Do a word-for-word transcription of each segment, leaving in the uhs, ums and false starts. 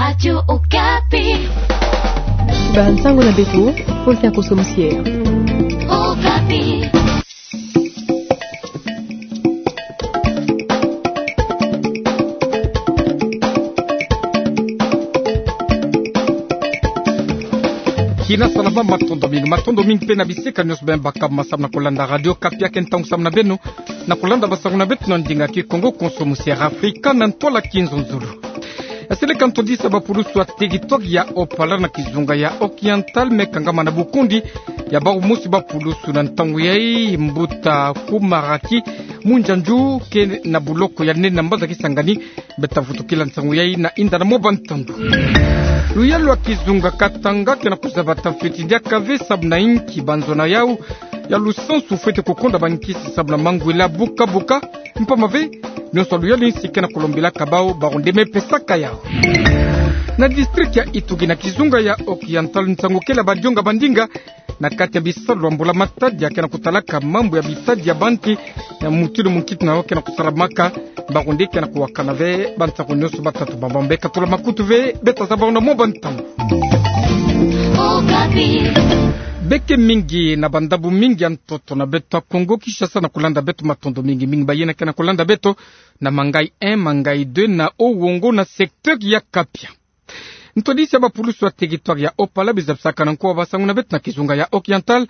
Radio Okapi. Bansango na beto, Faustin Koso Musier. Okapi. Kina salama, matondo mingi, matondo mingi mpe na bisika nyonso beno baka ma samu na kulanda Radio Okapi. Ake ntangu samu na beno na kulanda bansango na beto na ndinga Kikongo, Koso Musier Afrika na ntwala Kinzonzolo. Yaseleka ntwadisi ya bapulusu ya teritware ya Opala na kizunga ya Oriental me kangama na bukundi ya bau mosi bapulusu na ntangu yai, mbuta Kumaraki Munjanju ke na buloko ya nene na mbanza Kisangani. Beta vutukila nsangu yai na inda na mwa bantandu. Luyalu ya kizunga Katanga ke na kuzabata fweti diaka ve samu na inki banzona yau ya lusansu fweti kukonda bankisi samu na mangwele buka buka. Mpamba ve, nyonso luyalu insi ke na kulombilaka bau, bau nde me pesaka yau. Na district ya Ituri na kizunga ya Oriental, nsangu kele ya badionga bandinga na kati ya bisalu ya mbula-matadi ya ke na kutalaka mambu ya bitadi ya banki, ya mutindu munkitu'ango ke na kusalamaka. Bau nde ke na kuwakana ve bansangu nyonso batatu bamba mbe katula makutu ve, beta zaba na mwa bantandu. Beke mingi na bandambu mingi ya ntoto na beto ya Kongo Kinshasa na kulanda beto, matondo mingi mingi bayina ke na kulanda beto na Mangayi un, Mangayi deux, na Owongo na secteur ya Kapia. Ntwadisi ya bapulusu ya teritware ya Opala, biza bisaka na nko wa bansangu na beto na kizunga ya Oriental,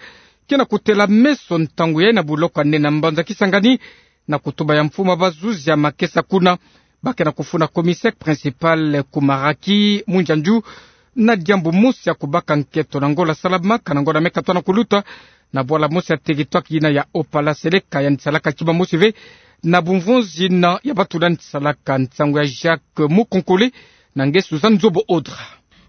ke na kutela meso ntangu yai na buloko ya nene na mbanza Kisangani, na kutuba ya mfumu ya bazuzi ya makesa kuna. Ba ke na kufunda commissaire principal Kumaraki Munjanju na diambu mosi ya kubaka nkento na ngola salamaka na ngola me katwa na kuluta na bwala mosi ya teritware yina ya Opala, seleka yandi salaka kima mosi ve na bumvonzi na ya bato nandi salaka. Nsangu ya Jacques Mukonkole na nge Suzanne Nzobo Odra.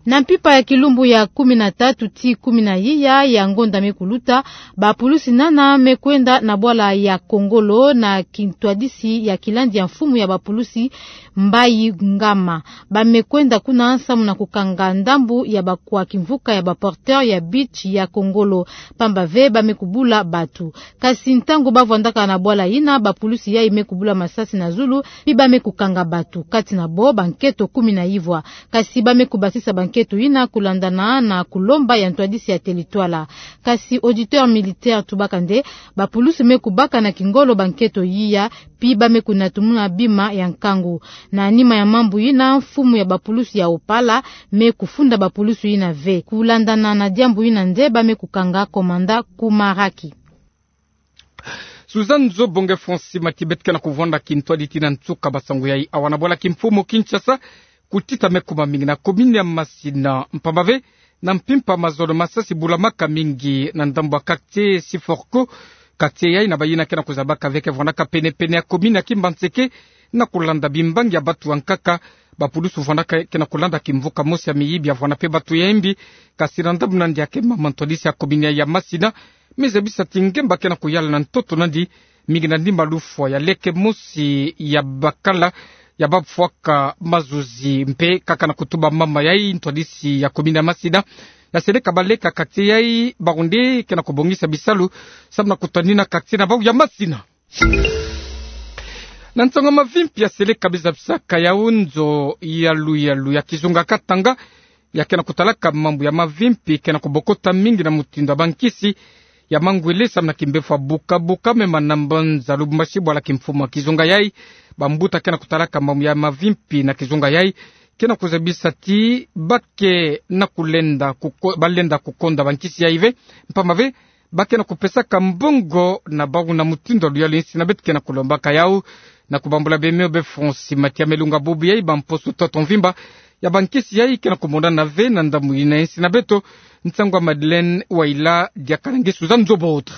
Na mpimpa ya kilumbu ya kumi na tatu tii kumi na iya ya ngonda me kuluta, bapulusi nana me kwenda na bwala ya Kongolo na kintwadisi ya kilandi ya mfumu ya bapulusi Mbayi Ngama. Ba me kwenda kuna samu na kukanga ndambu ya bakwa kimvuka ya baporteur ya beach ya Kongolo, mpamba ve ba me kubula bato. Kasi ntangu ba vwandaka na bwala yina, bapulusi yai me kubula masasi na zulu, pi ba me kukanga bato, kati na bo bankento kumi na ivwa. Kasi ba me kubasisa bankento yina kulandana na kulomba ya ntwadisi ya teritware. Kasi auditeur militaire tubaka nde bapulusi me kubaka na kingolo bankento yiya, pi ba me kunatumuna bima ya nkangu. Na nima ya mambu yina, mfumu ya bapulusi ya Opala me kufunda bapulusi yina ve. Kulandana na diambu yina nde ba me kukanga komanda Kumaraki. Suzanne Nzobo, nge Francis Matibet ke na kuvwanda kintwadi tii na nsuka bansangu yai. Awa na bwala kimfumu Kinshasa, kutita me kuma mingi na commune ya Masina, mpamba ve na mpimpa mazono masasi bulamaka mingi na ndambu ya quartier Siforco. Quartier yai na bayina ke na kuzabaka ve ke vwandaka penepene ya commune ya Kimbanseke, na kulanda bimbangi ya bato ya nkaka. Bapulusu vwandaka ke na kulanda kimvuka mosi ya miyibi ya vwanda mpe bato ya imbi. Kasi na ndambu nandi ya ke mama, ntwadisi ya commune yai ya Masina me zabisa ti ngemba ke na kuyala na ntoto nandi, mingi na ndimba lufwa ya leke mosi ya bakala ya bafwaka mazuzi mpe kaka na kutuba mama yai, ntwadisi ya commune ya Masina. Na seleka baleka quartier yai, bau nde ke na kubongisa bisalu samu na kutanina quartier na bau ya Masina. Na nsangu ya mavimpi ya seleka biza bisaka yau, nzo ya luyalu ya kizunga Katanga ya ke na kutalaka mambu ya mavimpi ke na kubokota mingi na mutindu ya bankisi ya mangwele samu na kimbefwa buka buka me mana mbanza Lubumbashi, bwala kimfumu ya kizunga yai. Bambuta ke na kutalaka mambu ya mavimpi na kizunga yai ke na kuzabisa ti ba ke na kulenda kuko-, balenda kukonda bankisi yai ve, mpamba ve ba ke na kupesaka mbongo na bau na mutindu ya luyalu insi na beto ke na kulombaka yau. Na kubambula bemeo be Francis Matibet, melunga bubu yai, bamposo ntoto mvimba ya bankisi yai ke na kumonana ve na ndambu yina insi na beto. Nsangu ya Madeleine Waila diaka na nge Suzanne Nzobo Odra.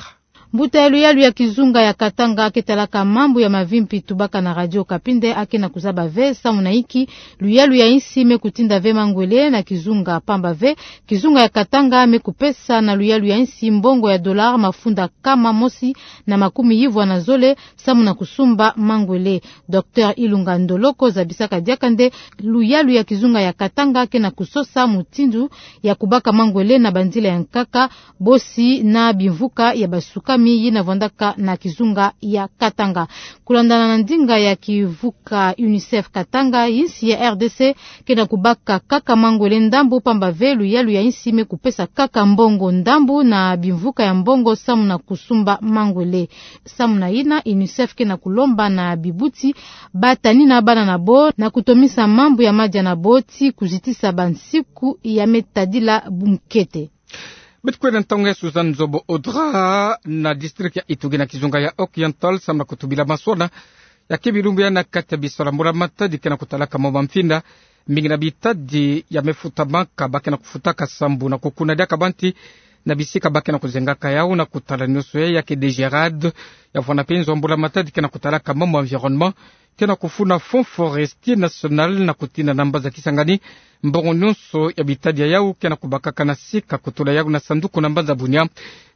Mbuta ya luyalu ya kizunga ya Katanga ke talaka mambu ya mavimpi tubaka na Radio Okapi nde a ke na kuzaba ve samu na inki luyalu ya insi me kutinda ve mangwele na kizunga, mpamba ve kizunga ya Katanga me kupesa na luyalu ya insi mbongo ya dollar mafunda nkama mosi na makumi ivwa na zole samu na kusumba mangwele. Docteur Ilunga Ndoloko zabisaka diaka nde luyalu ya kizunga ya Katanga ke na kusosa mutindu ya kubaka mangwele na banzila ya nkaka, bosi na bimvuka ya basuka yina vwandaka na kizunga ya Katanga. Kulandana na ndinga ya kivuka UNICEF Katanga, insi ya RDC ke na kubaka kaka mangwele ndambu, pamba ve luyalu ya insi me kupesa kaka mbongo ndambu na bimvuka ya mbongo samu na kusumba mangwele. Samu na yina, UNICEF ke na kulomba na bibuti ba tanina bana na bo na kutomisa mambu ya madia na bo ti kuzitisa bansiku ya me tadila bunkete. Beto kwenda ntangu ya Suzanne Nzobo Audra na district ya Ituri na kizunga ya Occidental samu na kutubila masona ya ke bilumbu ya na kati ya bisala mbula matadi ke na kutalaka mo mamfinda. Mingi na bitadi ya me futamaka ba ke na kufutaka sambu na kukuna diaka banti na bisika ba ke na kuzengaka yau na kutala nioso ya ke DGRAD, ya vwanda mpe nzo mbula matadi ke na kutalaka mo environnement, ke na kufuna Fonds Forestier National na kutina na mbanza Kisangani mbongo nionso ya bitadi ya yau ke na kubakaka na sika kutula yau na sanduku na mbanza Bunia.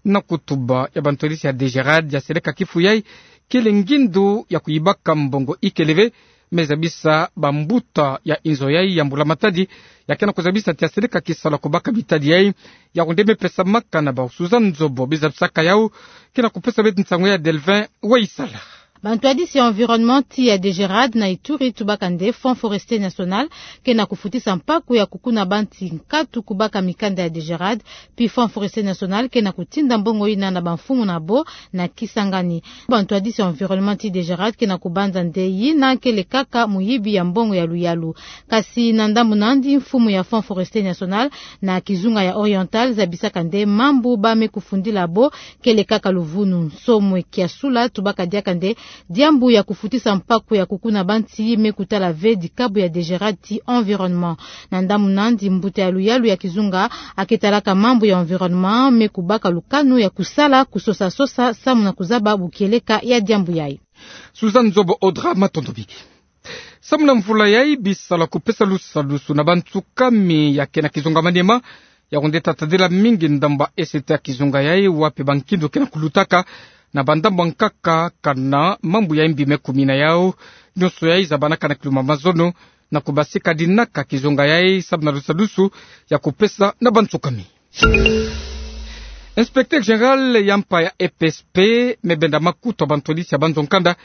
Na kutuba ya bantwadisi ya DGRAD, ya seleka kifu yai kele ngindu ya kuyibaka mbongo ikele ve, me zabisa bambuta ya inzo yai ya mbula matadi ya ke na kuzabisa ti ya seleka kisala kubaka bitadi yai. Yau nde me pesamaka na bau. Suzanne Nzobo, bizabisaka yau, ke na kupesa beto nsangu ya Delvin Waisala. Bantwadisi ya environnement ti ya DGRAD na Ituri tubaka nde Fonds Forestier National ke na kufutisa mpaku ya kukuna banti nkatu kubaka mikanda ya DGRAD, pi Fonds Forestier National ke na kutinda mbongo yina na bamfumu na bo na Kisangani. Bantwadisi ya environnement ti DGRAD ke na kubanza nde yina kele kaka muyibi ya mbongo ya luyalu. Kasi na ndambu nandi, mfumu ya Fonds Forestier National na kizunga ya Oriental zabisaka nde mambu ba me kufundila bo kele kaka luvunu. Nsomo Kiasula tubaka diaka nde diambu ya kufutisa mpaku ya kukuna banti me kutala ve dikabu ya DGRAD ti environnement. Na ndambu nandi, mbuta ya luyalu ya kizunga a ke talaka mambu ya environnement me kubaka lukanu ya kusala kusosa-sosa samu na kuzaba bukieleka ya diambu yai. Suzanne Nzobo Audra, matondo mingi. Samu na mvula yai, bisala kupesa lusadusu na bansukami ya ke na kizunga Maniema, yau nde tatadila mingi ndambu ya site ya kizunga yai, wapi bankindu ke na kulutaka na bandambu ya nkaka kana mambu ya mbi me kumina yau. Nionso yai zabanaka na kiluma mazono na kubasika dinaka kizunga yai samu na lusadusu ya kupesa na bansukami. Inspecteur général ya mpa ya E P S P me benda makutu ya bantwadisi ya banzo nkanda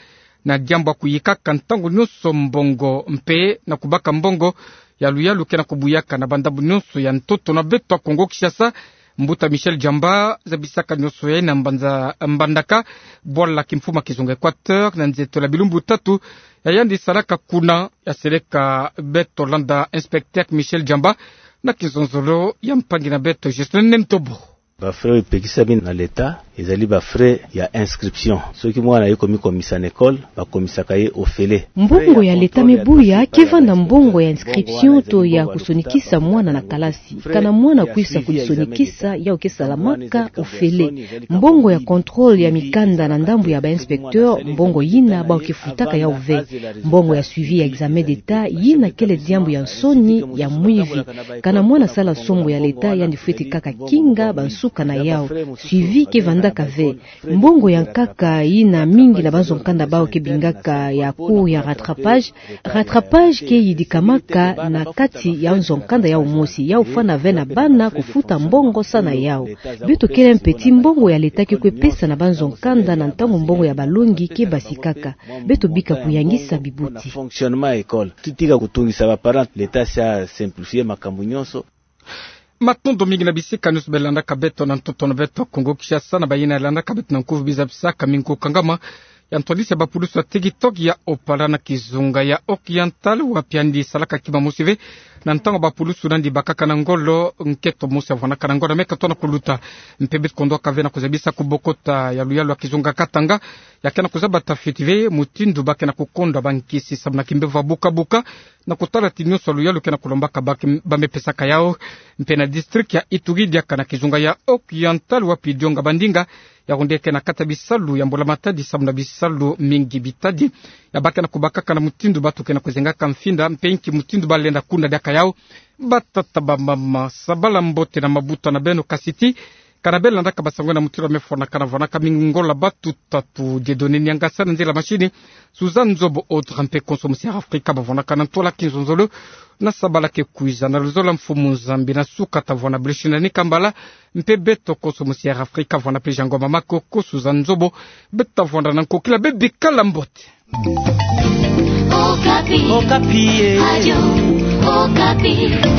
na diambu ya kuyikaka ntangu nionso mbongo mpe na kubaka mbongo ya luyalu ke na kubuyaka na bandambu nionso ya ntoto na beto ya Kongo Kinshasa. Mbuta Michel Djamba zabisaka nionso yai na mbanza, mbandaka bwala kimfumu ya kizunga Equateur na nzietolo ya bilumbu tatu ya yandi salaka kuna. Ya seleka beto landa inspecteur Michel Djamba na kizonzolo ya mpangi na beto Justin Nentobo. Ba frais oyo epekisami na l'État ezali ba frais ya inscription. Soki mwana aye komikomisa na école, bakomisaka ye ofele. Mbongo ya l'État me buya ke vanda mbongo ya inscription to ya kusonikisa mwana na kalasi. Kana mwana akwisa kudisonikisa, yau ke salamaka ofele. Mbongo ya contrôle ya mikanda na ndambu ya ba inspecteur, mbongo yina bau ke futaka yau ve. Mbongo ya suivi ya examen d'État, yina kele diambu ya nsoni ya mwivi. Kana mwana asala sombo ya l'État, yandi fweti kaka kinga bansuka na yau. Suivi ke vandaka ve. Mbongo ya nkaka yina mingi na banzo nkanda bau ke bingaka ya cours ya rattrapage. Rattrapage ke yidikamaka na kati ya nzo nkanda yau mosi, yau fwana ve na bana kufuta mbongo sa na yau. Beto kele mpe ti mbongo ya l'État ke kwe pesa na banzo nkanda na ntangu mbongo ya balongi ke basikaka. Beto bika kuyangisa bibuti. Fonctionnement ya école. Tutika kutungisa ba parents, l'État asi a simplifier makambu nionso. Matondo mingi na bisika nionso beno landaka beto na ntoto na beto Kongo Kinshasa, na bayina landaka beto na nkuvu. Bizabisaka mingu kangama ya ntwadisi ya bapulusu ya TikTok ya Opala na kizunga ya Occidental, wapi yandi salaka kima mosi ve na ntangu bapulusu nandi bakaka na ngolo, nketo mosi avwanaka na ngolo me katoa na kuluta. Mpe beto kondwaka ve na kuzabisa kubokota ya luyalu ya kizunga Katanga, ya ke na kuzaba tafiti ve mutindu ba ke na kukondwa bankisi samu na kimbevo ya buka-buka, na kutala ti nionso ya luyalu ke na kulombaka ba ke, ba me pesaka yau. Mpe na district ya Ituri diaka na kizunga ya Occidental, wapi dionga bandinga, yau nde ke na kata bisalu ya mbula matadi samu na bisalu mingi bitadi ya ba ke na kubakaka na mutindu batu ke na kuzengaka mfinda, mpe nki mutindu ba lenda kuna diaka yau. Batata, bamama, sabala mbote na mabuta na beno, kasi ti Ka na bela nda ka basango na mutiru wa mefona ka na vonaka mi ngola batu tatu Dieudonné Niangasa, na nzila masini Suzanne Nzobo, Audrey Mpe, konso musi Air Africa bavonaka na ntola ki nzonzolo na sabala ke kwiza. Na luzolo la mfumu Nzambi na suka tavona Bruce Nani Kambala, mpe beto konso musi Air Africa vona pleasure ngoma makoko Suzanne Nzobo. Beta vona na nkokila, bebikala mbote. Okapi. Okapi, eh. Radio Okapi.